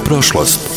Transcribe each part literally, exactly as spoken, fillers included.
prošlost.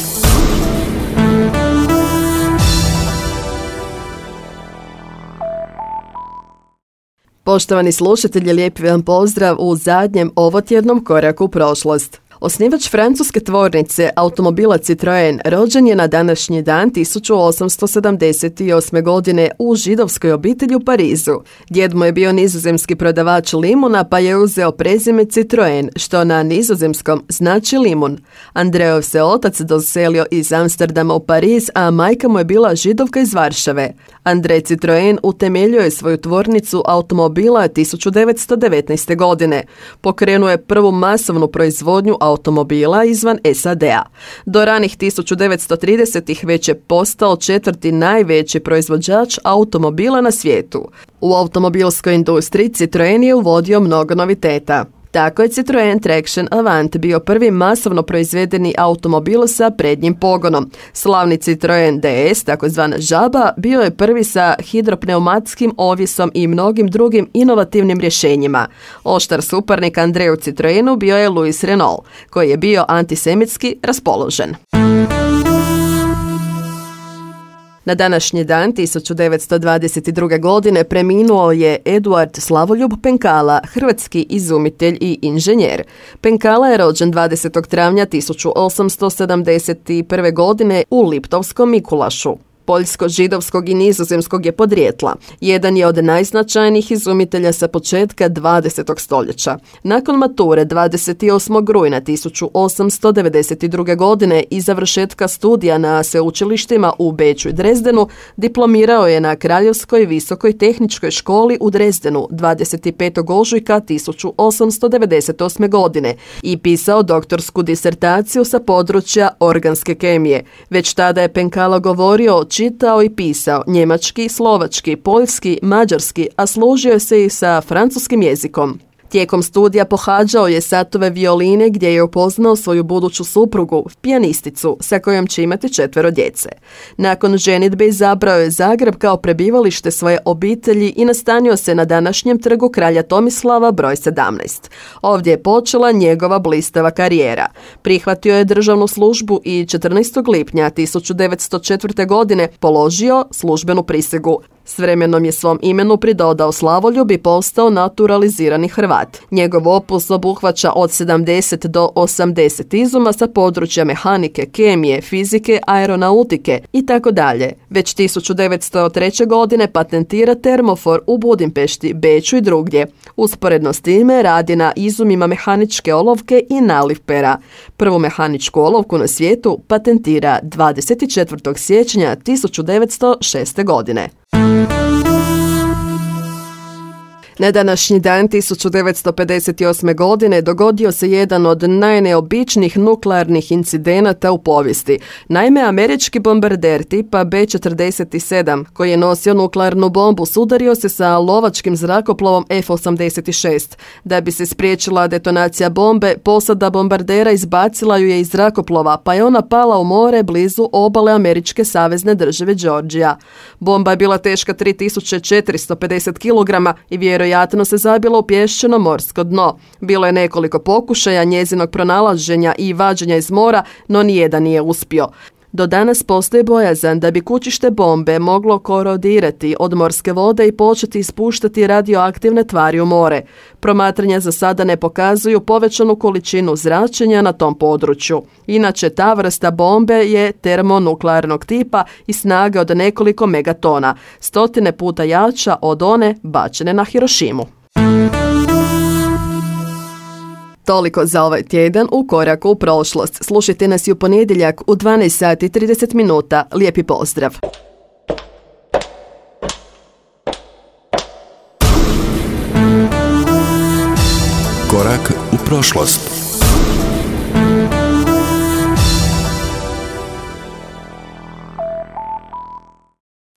Poštovani slušatelji, lijepi vam pozdrav u zadnjem ovotjednom koraku u prošlost. Osnivač francuske tvornice automobila Citroen rođen je na današnji dan tisuću osamsto sedamdeset osme. godine u židovskoj obitelji u Parizu. Djed mu je bio nizozemski prodavač limuna pa je uzeo prezime Citroen, što na nizozemskom znači limun. Andreov se otac doselio iz Amsterdama u Pariz, a majka mu je bila Židovka iz Varšave. Andrej Citroen utemeljio je svoju tvornicu automobila tisuću devetsto devetnaeste. godine. Pokrenuo je prvu masovnu proizvodnju automobila izvan S A D-a. Do ranih tisuću devetsto tridesetih već je postao četvrti najveći proizvođač automobila na svijetu. U automobilskoj industriji Citroen je uvodio mnogo noviteta. Tako je Citroen Traction Avant bio prvi masovno proizvedeni automobil sa prednjim pogonom. Slavni Citroen D S, takozvana žaba, bio je prvi sa hidropneumatskim ovjesom i mnogim drugim inovativnim rješenjima. Oštar suparnik Andreju Citroenu bio je Louis Renault, koji je bio antisemitski raspoložen. Na današnji dan tisuću devetsto dvadeset druge. godine preminuo je Eduard Slavoljub Penkala, hrvatski izumitelj i inženjer. Penkala je rođen dvadesetog travnja tisuću osamsto sedamdeset prve. godine u Liptovskom Mikulašu. Poljsko-židovskog i nizozemskog je podrijetla. Jedan je od najznačajnijih izumitelja sa početka dvadesetog stoljeća. Nakon mature dvadeset osmog rujna tisuću osamsto devedeset druge. godine i završetka studija na sveučilištima u Beču i Drezdenu, diplomirao je na Kraljevskoj visokoj tehničkoj školi u Drezdenu dvadeset petog ožujka tisuću osamsto devedeset osme. godine i pisao doktorsku disertaciju sa područja organske kemije. Već tada je Penkala govorio, čitao i pisao njemački, slovački, poljski, mađarski, a služio se i sa francuskim jezikom. Tijekom studija pohađao je satove violine gdje je upoznao svoju buduću suprugu, pijanisticu, sa kojom će imati četvero djece. Nakon ženidbe izabrao je Zagreb kao prebivalište svoje obitelji i nastanio se na današnjem trgu Kralja Tomislava broj sedamnaest. Ovdje je počela njegova blistava karijera. Prihvatio je državnu službu i četrnaestog lipnja tisuću devetsto četvrte. godine položio službenu prisegu. S vremenom je svom imenu pridodao slavoljub i postao naturalizirani Hrvat. Njegov opus obuhvaća od sedamdeset do osamdeset izuma sa područja mehanike, kemije, fizike, aeronautike i tako dalje. Već tisuću devetsto treće. godine patentira termofor u Budimpešti, Beču i drugdje. Usporedno s time radi na izumima mehaničke olovke i naliv pera. Prvu mehaničku olovku na svijetu patentira dvadeset četvrtog siječnja tisuću devetsto šeste. godine. Na današnji dan tisuću devetsto pedeset osme. godine dogodio se jedan od najneobičnijih nuklearnih incidenata u povijesti. Naime, američki bombarder tipa B četrdeset sedam, koji je nosio nuklearnu bombu, sudario se sa lovačkim zrakoplovom F osamdeset šest. Da bi se spriječila detonacija bombe, posada bombardera izbacila ju je iz zrakoplova, pa je ona pala u more blizu obale američke savezne države Georgija. Bomba je bila teška tri tisuće četiristo pedeset kilograma i vjerojatno Vjerojatno se zabilo u pješčano morsko dno. Bilo je nekoliko pokušaja njezinog pronalaženja i vađenja iz mora, no nijedan nije uspio. Do danas postoji bojazan da bi kućište bombe moglo korodirati od morske vode i početi ispuštati radioaktivne tvari u more. Promatranja za sada ne pokazuju povećanu količinu zračenja na tom području. Inače, ta vrsta bombe je termonuklearnog tipa i snage od nekoliko megatona, stotine puta jača od one bačene na Hirošimu. Toliko za ovaj tjedan u koraku u prošlost. Slušajte nas i u ponedjeljak u dvanaest sati i trideset minuta. Lijepi pozdrav. Korak u prošlost.